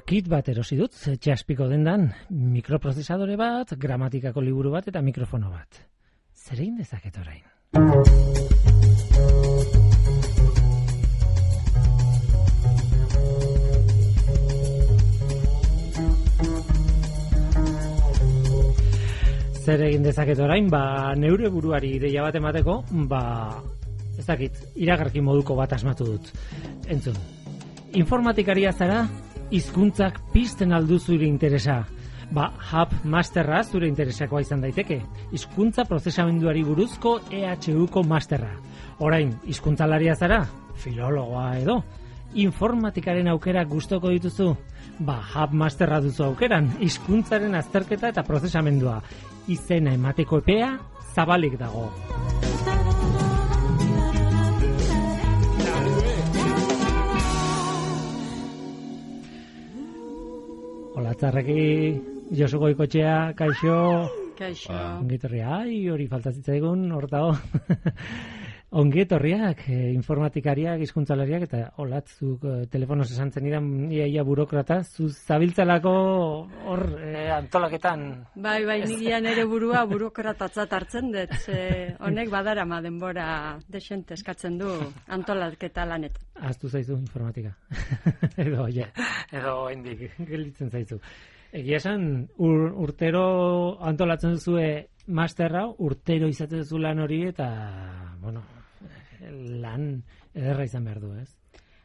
kit bat erosi dut, txaspiko dendan, mikroprozesadore bat, gramatikako liburu bat eta mikrofono bat. Zer egin dezaket orain? Zer egin dezaket orain? Neure buruari ideia bat emateko, ez dakit, iragarki moduko bat asmatu dut. Entzun, informatikaria zara, hizkuntzak pizten aldu zure interesa. Hub Masterra zure interesakoa izan daiteke. Hizkuntza prozesamenduari buruzko EHUko Masterra. Orain, hizkuntzalaria zara, filologoa edo. Informatikaren aukera gustoko dituzu? Hub Masterra duzu aukeran, hizkuntzaren azterketa eta prozesamendua. Izena emateko epea zabalik dago. Hola, Txarreki, Josu Goikotxea, kaixo. Kaixo. Ongetorria, hori falta zitzaigun, hortago. Ongetorriak, informatikariak, hizkuntzalariak, eta olatzuk telefonoz esan zenidan ia burokrata, zuz zabiltzalako hor antolaketan. Bai, nigian ere burua burokratatzat hartzen dut, honek badarama denbora desente eskatzen du antolaketa lanetan. Ahaztu zaizu informatika. edo hendik gelditzen zaizu. Egia esan, urtero antolatzen duzue masterra, urtero izaten duzu lan hori, eta, lan ederra izan behar du, ez?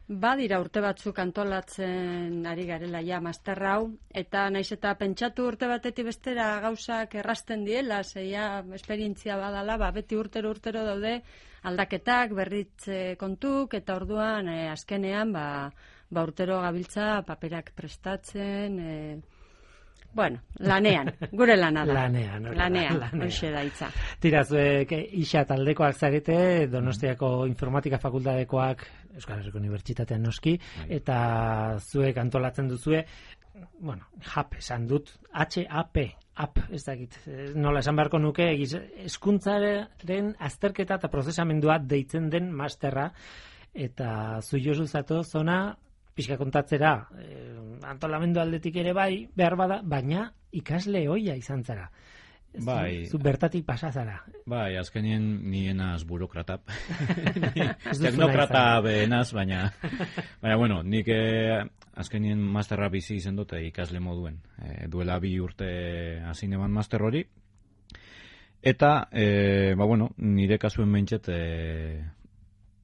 Badira urte batzuk antolatzen ari garela ja master hau, eta naiz eta pentsatu urte batetik bestera gauzak errasten diela, zeia esperientzia badala, beti urtero daude aldaketak, berritze kontuk, eta orduan azkenean urtero gabiltza paperak prestatzen, lanean, gure lana da. Lanean, hoxe da hitza. Tira, zuek isa taldekoak zarete, Donostiako informatika fakultatekoak, Euskal Herriko Unibertsitatean noski, eta zuek antolatzen duzue, HAP esan dut, HAP, ez dakit, nola esan beharko nuke, hezkuntzaren azterketa eta prozesamendua deitzen den masterra, eta zu Josu zatoz zona, pixka kontatzera, antolamendu aldetik ere bai, behar bada, baina ikasle hoia izan zara. Zu bertatik pasa zara. Bai, azkenien nienaz burokratap. Teknokrata behenaz, baina nik azkenien masterra bizi izan dute ikasle moduen. Duela 2 urte hasi neban master hori. Eta, nire kasuen behintzet,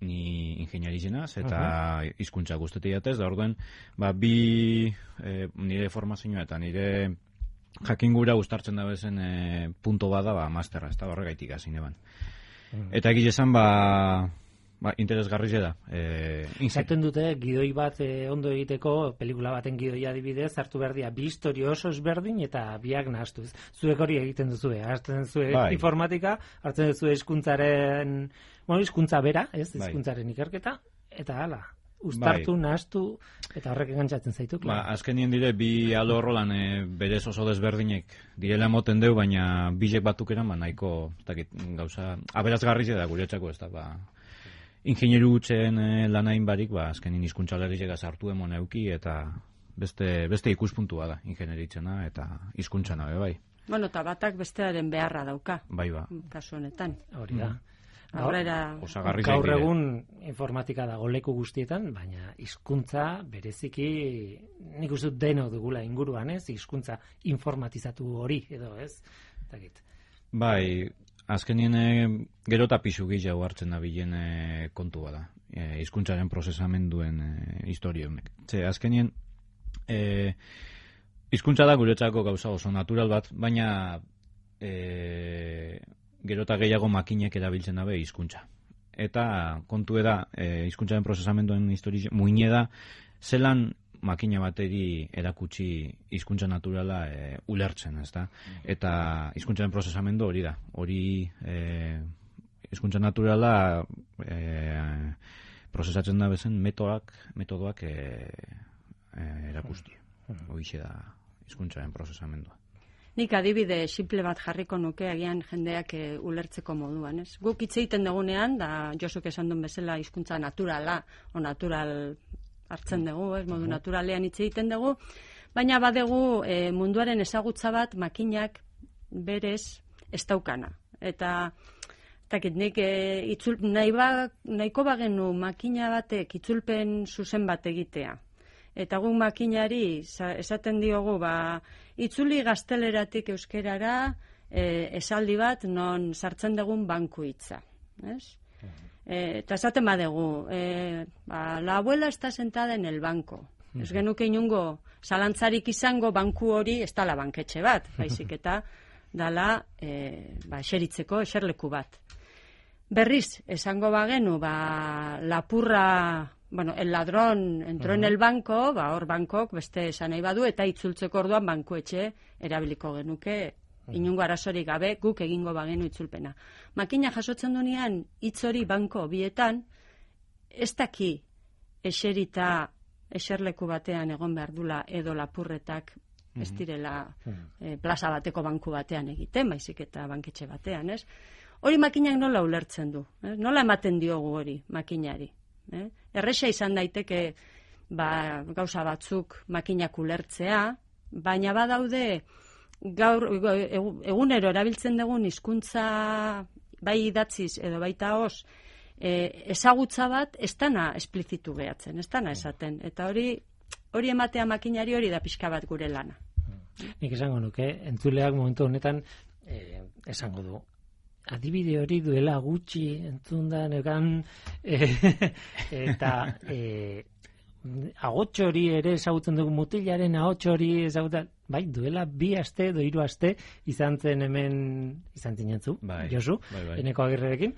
ni ingeniarizenaz eta hizkuntza guztetik jatez, da orduen, nire formazioa eta nire jakingura gustartzen da bezen punto bada masterra, ez da horregaitik hasi neban. Eta egia esan, interesgarri da. Izaten dute, gidoi bat ondo egiteko, pelikula baten gidoia adibidez, hartu behar dira, 2 istorio oso ezberdin eta biak nahastuz. Zuek hori egiten duzue, hartzen duzue informatika, hartzen duzue hizkuntza bera, hizkuntzaren ikerketa, eta hala, ustartu, nahastu, eta horrek engantzatzen zaitu. Azkenien dire, 2 alorro lan berez oso desberdinek direla moten deu, baina bilek batuk eran, nahiko gauza, aberazgarri da guretzako ez da, ingenieru gutzen lanain barik, azkenin hizkuntzalariak sartu emon euki, eta beste ikuspuntua da, ingenieritzena eta hizkuntzana bai. Eta batak bestearen beharra dauka. Bai, kasu honetan. Hori da. Gaur egun informatika dago leku guztietan, baina hizkuntza bereziki nik uste dut deno dugula inguruan, ez? Hizkuntza informatizatu hori edo, ez? Bai, azkenien gero eta pisu gehiago hartzen da bilen kontua da. Hizkuntzaren prozesamenduen historia honek. Azkenien hizkuntza da guretzako gauza oso natural bat, baina gero eta gehiago makinek erabiltzen dabe hizkuntza. Eta kontu da, hizkuntzaren prozesamenduen historia muine da, zelan makina bateri erakutsi hizkuntza naturala ulertzen, ezta? Eta hizkuntzaren prozesamendu hori da. Hori hizkuntza naturala prozesatzen da bezen metodoak erakusti. Horixe da hizkuntzaren prozesamendua. Nik adibide simple bat jarriko nuke agian jendeak ulertzeko moduan, ez? Guk hitz egiten dugunean, da Josuk esan duen bezala hizkuntza naturala, o natural hartzen dugu, modu naturalean hitz egiten dugu, baina badegu munduaren ezagutza bat makinak berez ez daukana. Eta nik nahiko bagenu makina batek itzulpen zuzen bat egitea. Eta guk makinari esaten diogu, itzuli gazteleratik euskerara esaldi bat non sartzen dugun banku hitza. Eta esaten badegu, la abuela está sentada en el banco. Ez genuke inungo zalantzarik izango banku hori ez dala banketxe bat, baizik eta dala eseritzeko eserleku bat. Berriz, esango bagenu, lapurra, el ladrón entró en el banco, hor bankok beste esan nahi badu, eta itzultzeko orduan bankuetxe erabiliko genuke, inungo arazorik gabe guk egingo bagenu itzulpena. Makina jasotzen dunean hitz hori banko bietan, ez daki eserita eserleku batean egon behar dula edo lapurretak ez direla plaza bateko banku batean egiten, baizik eta banketxe batean, ez? Hori makinak nola ulertzen du, nola ematen diogu hori makinari. Erresa izan daiteke gauza batzuk makinak ulertzea, baina badaude gaur egunero erabiltzen dugun hizkuntza bai idatziz edo baita os ezagutza bat ez dana esplizitu behatzen, ez dana esaten. Eta hori ematea makinari hori da pixka bat gure lana. Nik esango nuke, entzuleak momentu honetan esango du. Adibide hori duela gutxi entzunda neukan eta ahots hori ere ezagutzen dugu, mutilaren ahots hori ezagutzen, bai, duela 2 aste edo 3 aste izan zinentzu, Josu, Eneko Agirrerekin,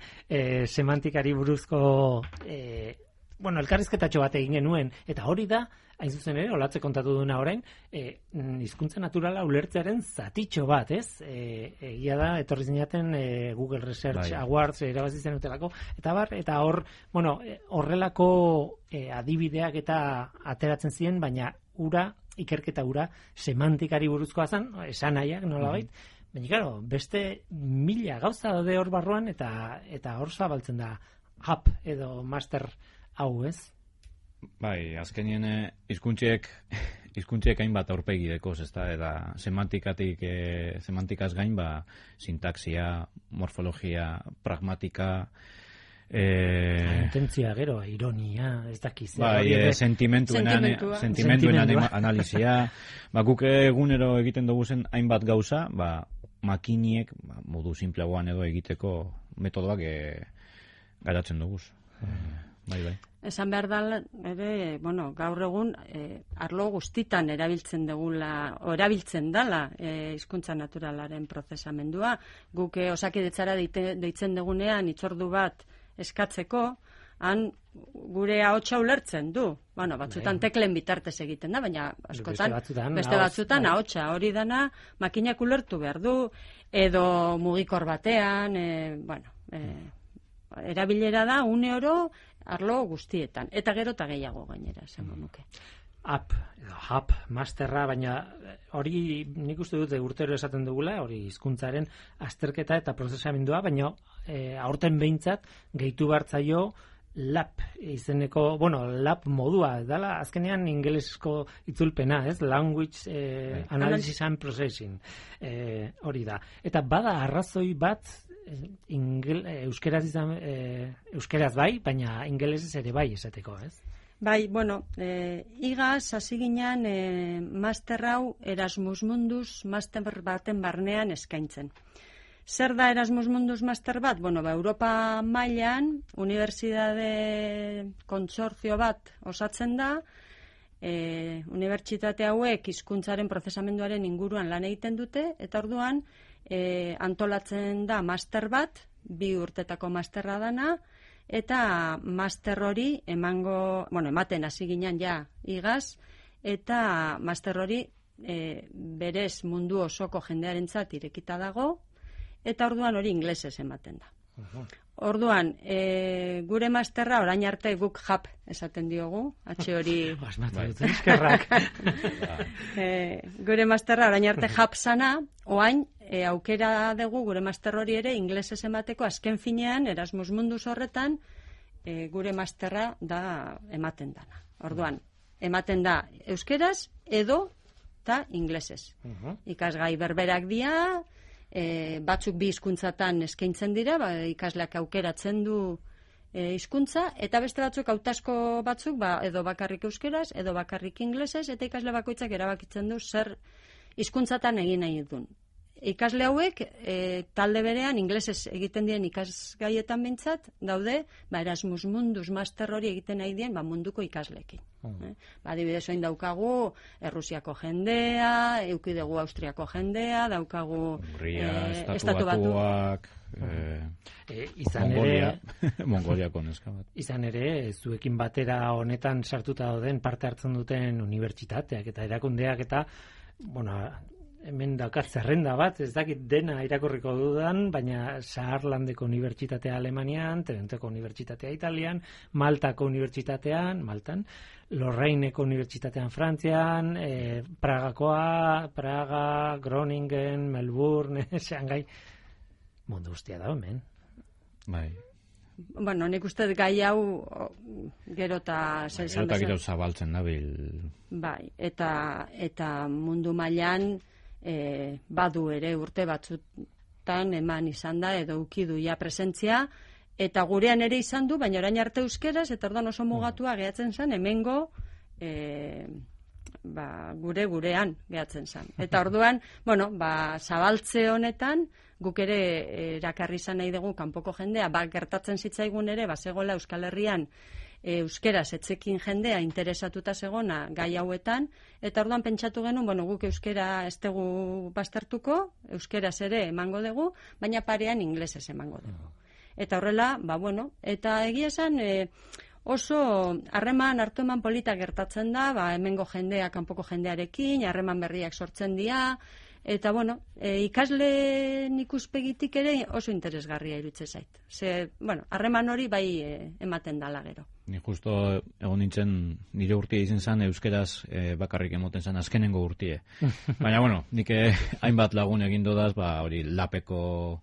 semantikari buruzko elkarrizketatxo bat egin genuen, eta hori da, hain zuzen ere, olatze kontatu duna orain, hizkuntza naturala ulertzearen zatitxo bat, ez? Egia da, etorri zinaten Google Research Awards erabazi zen utelako, eta hor, horrelako adibideak eta ateratzen ziren, baina ikerketa ura semantikari buruzkoa zen, esan nahiak nolabait, baina, claro, beste 1000 gauza daude hor barruan, eta hor zabaltzen da app edo master hau, ez? Bai, azkenien hizkuntziek hainbat aurpegi dekoz, ezta, eta semantikaz gain, sintaxia, morfologia, pragmatika, intentzia gero, ironia, ez dakiz. Sentimentuen analizia, guk egunero egiten dugu zen hainbat gauza, makiniek, modu simpleagoan edo egiteko metodoak garatzen dugu. Bai. Esan behar da, gaur egun, arlo guztitan erabiltzen dela hizkuntza naturalaren prozesamendua. Guk osakidetzara deitzen dugunean itzordu bat eskatzeko, han gure ahotsa ulertzen du. Batzutan teklen bitartez egiten da, baina askotan beste batzutan ahotsa hori dana makinak ulertu behar du, edo mugikor batean, erabilera da une oro arlo guztietan, eta gero eta gehiago gainera, esango nuke. App, masterra, baina hori nik uste dute urtero esaten dugula, hori hizkuntzaren azterketa eta prozesamendua, baina aurten behintzat gehitu bartzaio lab izeneko, lab modua, dala azkenean ingelesko itzulpena, ez? Language Analysis and Processing, hori da. Eta bada arrazoi bat, euskeraz bai, baina ingelesez ere bai esateko, ez? Bai, igaz, hasi ginen master hau Erasmus Mundus master baten barnean eskaintzen. Zer da Erasmus Mundus master bat? Europa mailan unibertsitate kontsortzio bat osatzen da, unibertsitate hauek hizkuntzaren prozesamenduaren inguruan lan egiten dute, eta orduan antolatzen da master bat, 2 urtetako masterra dana, eta master hori ematen hasi ginen igaz, eta master hori berez mundu osoko jendearentzat irekita dago, eta orduan hori inglesez ematen da. Orduan, gure masterra orain arte guk JAP esaten diogu, hori... Gure masterra orain arte JAP sana, oain aukera dugu gure master hori ere inglesez emateko, azken finean Erasmus Mundus horretan gure masterra da ematen dana. Orduan, ematen da euskeraz edo eta inglesez. Ikasgai berberak dira, batzuk bi hizkuntzatan eskaintzen dira, ikasleak aukeratzen du hizkuntza, eta beste batzuk hautasko batzuk edo bakarrik euskeraz, edo bakarrik inglesez, eta ikasle bakoitzak erabakitzen du zer hizkuntzatan egin nahi duen. Ikasle hauek talde berean inglesez egiten dien ikasgaietan bintzat daude, Erasmus Mundus master hori egiten nahi dien munduko ikasleekin. Adibidez, oin daukagu Errusiako jendea, eukidegu Austriako jendea, daukagu Estatu Batuak, Mongoliako neska bat. Izan ere, zuekin batera honetan sartuta dauden parte hartzen duten unibertsitateak eta erakundeak eta, hemen daukat zerrenda bat, ez dakit dena irakurriko dudan, baina Saarlandeko unibertsitatea Alemanian, Trentoko unibertsitatea Italian, Maltako unibertsitatean, Maltan, Lorraineko unibertsitatean Frantzian, Praga, Groningen, Melbourne, Shanghai, mundu guztia da hemen. Bai. Nik uste gai hau gero eta zabaltzen dabil. Bai, eta mundu mailan badu ere urte batzutan eman izan da edo ukidu ja presentzia, eta gurean ere izan du, baina orain arte euskeraz, eta orduan oso mugatua gehatzen zen, hemengo gurean gehatzen zen. Eta orduan, zabaltze honetan, guk ere erakarri izan nahi dugu kanpoko jendea, gertatzen zitzaigun ere, zegoela Euskal Herrian euskeraz etzekin jendea interesatuta zegona gai hauetan, eta orduan pentsatu genuen, guk euskera ez dugu baztertuko, euskeraz ere emango dugu, baina parean inglesez emango dugu. Eta horrela, eta egia esan oso harreman hartu eman polita gertatzen da, hemengo jendea kanpoko jendearekin, harreman berriak sortzen dira, eta ikasleen ikuspegitik ere oso interesgarria iruditzen zait. Harreman hori bai ematen dala gero. Ni justo egon nintzen nire urtia izan zen euskeraz bakarrik emoten zen azkenengo urtie. Baina nik hainbat lagun egin dodaz, hori lapeko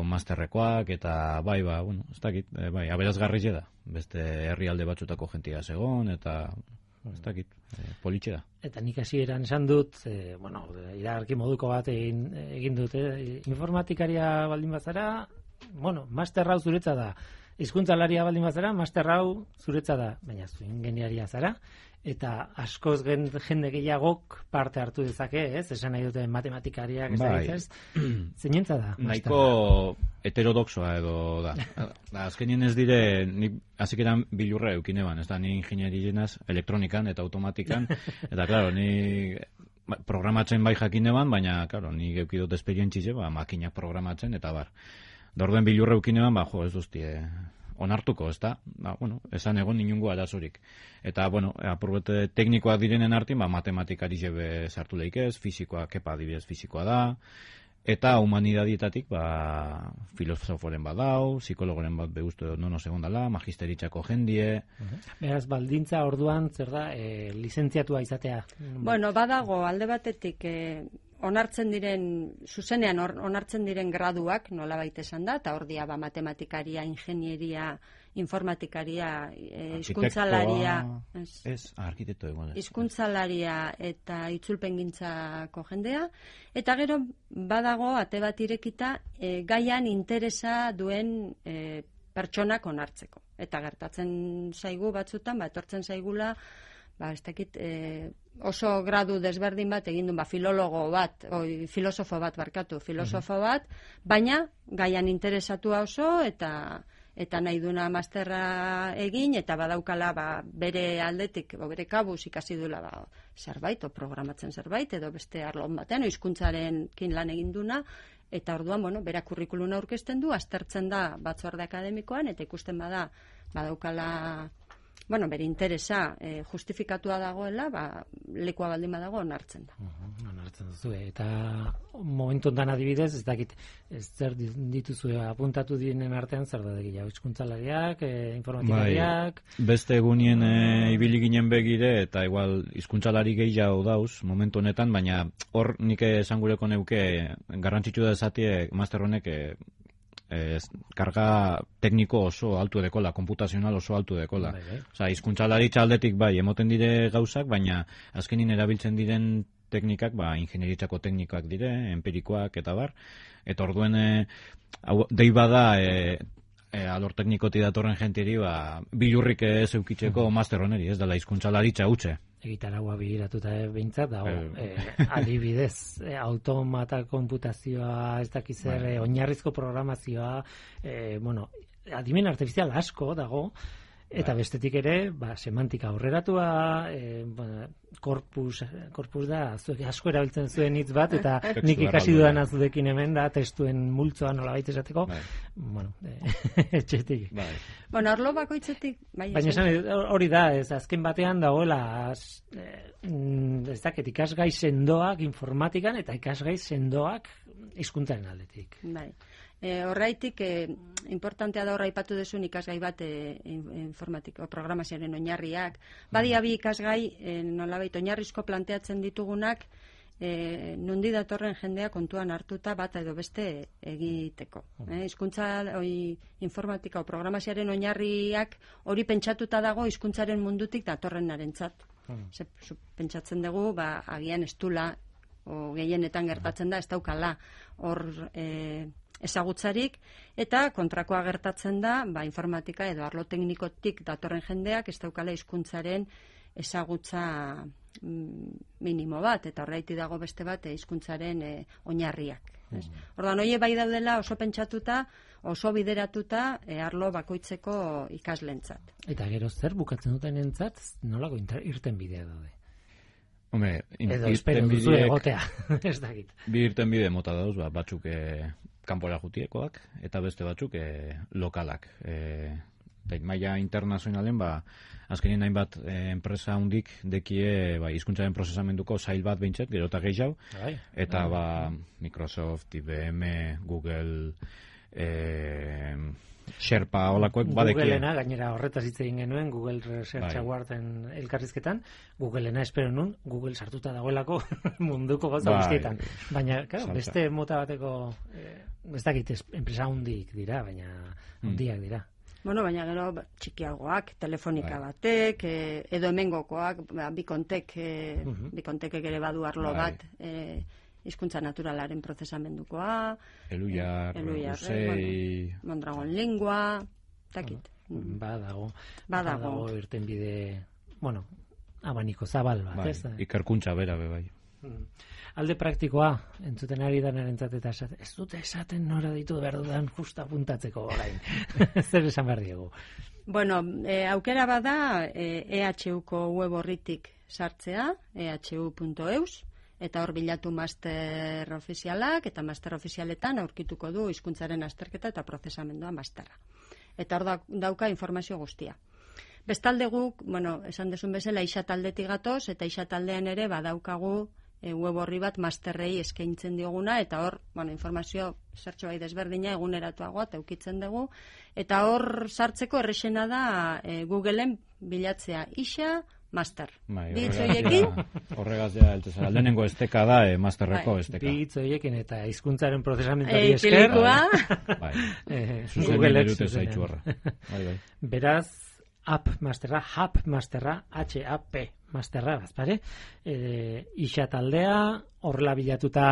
masterrekoak eta ez dakit, aberazgarri da. Beste herrialde batzutako jentia zegon eta ez dakit, politxe da. Eta nik hasieran esan dut, iragarki moduko bat egin dut, informatikaria baldin bazara, master hau zuretza da. Hizkuntzalaria baldin bazara, master hau zuretza da, baina zu ingeniaria zara, eta askoz jende gehiagok parte hartu dezake, ez? Esan nahi dute matematikariak, ez? Zeinentza da? Nahiko heterodoxoa edo da. Azkenien ez dire, hazik eran bilurra eukineban, ez da, ni ingenierienaz elektronikan eta automatikan, eta, klaro, ni programatzen bai jakineban, baina, klaro, ni geukidot esperientzize, makinak programatzen, eta bar. Dorduen bilurra eukineban, ez duztie onartuko, ez da? Esan egon inungo arazorik. Eta, apurbete teknikoak direnen artin, matematikari jebe sartu lehikez, fizikoa, kepa adibidez fizikoa da, eta humanidadietatik, filosoforen bat dau, psikologoren bat begustu nono segondala, magisteritzako jendie. Beraz, baldintza orduan, zer da, lizentziatua izatea? Badago, alde batetik, zuzenean onartzen diren graduak, nola baita esan da, eta hor dia matematikaria, ingenieria, informatikaria, hizkuntzalaria, arkitekto egon. Hizkuntzalaria eta itzulpengintzako jendea, eta gero badago ate bat irekita gaian interesa duen pertsonak onartzeko. Eta gertatzen zaigu batzutan, etortzen zaigula, ez dakit, oso gradu desberdin bat egin duen, filosofo bat, baina gaian interesatua oso, eta nahi duna masterra egin, eta badaukala bere aldetik, bere kabuz ikasi duela zerbait, o programatzen zerbait, edo beste arlon batean, hizkuntzarekin lan egin duna, eta orduan, bera kurrikuluna aurkezten du, aztertzen da batzorde akademikoan, eta ikusten badaukala bere interesa justifikatua dagoela, lekua baldin badago onartzen da. Onartzen duzu, eta momentu ondan adibidez, ez dakit, zer dituzu apuntatu direnen artean, zer da gehiago, hizkuntzalariak, informatikariak... Beste egunien ibili ginen begire, eta igual hizkuntzelari gehiago dauz, momentu honetan, baina hor nik esan gureko neuke, garrantzitsu da esatie, master honek, karga tekniko oso altu edekola, komputazional oso altu edekola. Osa, hizkuntzalaritza aldetik bai, emoten dire gauzak, baina azkenin erabiltzen diren teknikak, ingenieritzako teknikak dire, empirikoak eta bar, eta orduen dei bada alor teknikoti datorren jentieri bilurrik ez eukitzeko master honeri, ez dela hizkuntzalaritza utxe. Egitaragua begiratuta behintzat, adibidez, automata konputazioa, ez dakizer, oinarrizko programazioa, adimen artifizial asko dago, eta bestetik ere, semantika aurreratua, korpus da, zuek asko erabiltzen zuen hitz bat, eta nik ikasi dudan azudekin hemen da, testuen multzoa nola baita esateko, etxetik. Bueno, arlo bakoitzetik, baina hori da, ez azken batean dagoela, ez dakit, ikasgai sendoak informatikan, eta ikasgai sendoak hizkuntzaren aldetik. Bai. Horraitik, importantea da horra ipatu duzun ikasgai bat informatiko, programazioaren oinarriak. Badia bi ikasgai, nolabait oinarrizko planteatzen ditugunak, nundi datorren jendea kontuan hartuta bat edo beste egiteko. Hizkuntza informatika o programazioaren oinarriak hori pentsatuta dago hizkuntzaren mundutik datorrenarentzat. Pentsatzen dugu, agian estula, o gehienetan gertatzen da, ez daukala hor ezagutzarik, eta kontrakoa gertatzen da, informatika edo arlo teknikotik datorren jendeak ez daukala hizkuntzaren ezagutza minimo bat, eta horreiti dago beste bat hizkuntzaren oinarriak. Orduan, horiek bai daudela oso pentsatuta, oso bideratuta arlo bakoitzeko ikaslentzat. Eta gero zer bukatzen duten entzat, nolako irten bidea daude? Edo espero duzu egotea, ez dakit. Bi irten bide mota dauz, batzuk kanpora jutiekoak, eta beste batzuk lokalak. Maila internazionalen, azkenin hainbat enpresa hundik dekie hizkuntzaren prozesamenduko zail bat behintzat, gero eta gehiago, eta Microsoft, IBM, Google, Sherpa olakoek badekie. Googlena, gainera horretaz hitz egin genuen, Google Research Awarden elkarrizketan, Googlena espero nun, Google sartuta dagoelako munduko gauza guztietan. Baina, beste mota bateko, ez dakit, enpresa hundik dira, baina hundiak dira. Bueno, baina gero txikiagoak, telefonika batek, edo hemengokoak, bikontekek ere badu arlo bat, hizkuntza naturalaren prozesamendukoa, Elujar, Usei, Mondragon Lingua, takit. Badago irten bide, abaniko zabal bat, ez da? Ikerkuntza bera, bai. Alde praktikoa, entzuten ari danerentzat eta ez dute esaten nora ditu behar dudan justa apuntatzeko orain. Zer esan behar diegu? Bueno, aukera bada EHUko web horritik sartzea, ehu.eus, eta hor bilatu master ofizialak, eta master ofizialetan aurkituko du hizkuntzaren azterketa eta prozesamendua masterra. Eta hor dauka informazio guztia. Bestalde guk, esan desun bezala, isataldetik gatoz, eta isataldean ere badaukagu web horri bat masterrei eskaintzen dioguna, eta hor, informazio zertxo bai desberdina eguneratuagoa eta eukitzen dugu, eta hor sartzeko errexena da Googleen bilatzea isa master. Bitz horiekin? Horregaz ja, lehenengo esteka da, masterreko esteka. Bitz horiekin eta hizkuntzaren prozesamentuari esker. Zuzen erute zaitxu horra. Beraz, app masterra, hap masterra, HAP masterra, bazpare. Ixa taldea, horrela bilatuta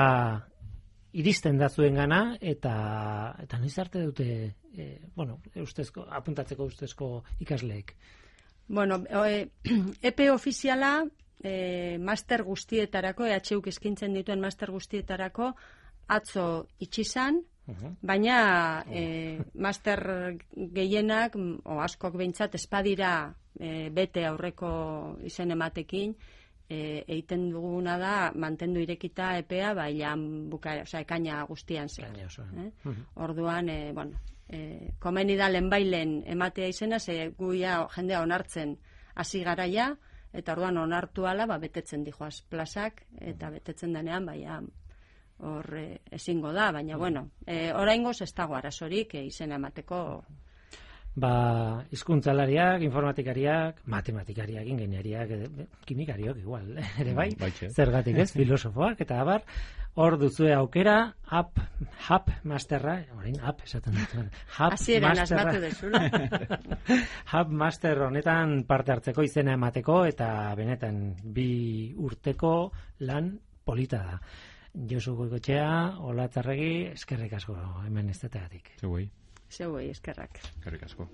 iristen da zuen gana, eta noiz arte dute, apuntatzeko ustezko ikasleek. Bueno, EP ofiziala master guztietarako, EHUk eskintzen dituen master guztietarako atzo itxizan, baina master gehienak, askok behintzat, espadira bete aurreko izen ematekin, egiten duguna da mantendu irekita EPEA, ekaina guztian zer. Orduan, komeni da lehenbailen ematea izena, ze guia jendea onartzen hasi garaia, eta orduan onartu ala, betetzen dijoaz plazak, eta betetzen denean, hor ezingo da, baina, oraingoz ez dago arazorik izena emateko. hizkuntzalariak, informatikariak, matematikariak, ingeniariak, kimikariok igual, ere bai, zergatik ez, filosofoak, eta abar, hor duzue aukera, hub masterra, orain hub esaten dut, hasieran asmatu dezula. Hub master honetan parte hartzeko izena emateko, eta benetan 2 urteko lan polita da. Josu Goikoetxea, Ola Txarregi, eskerrik asko hemen ez detegatik. Zeuei. Zeuei, eskerrak. Eskerrik asko.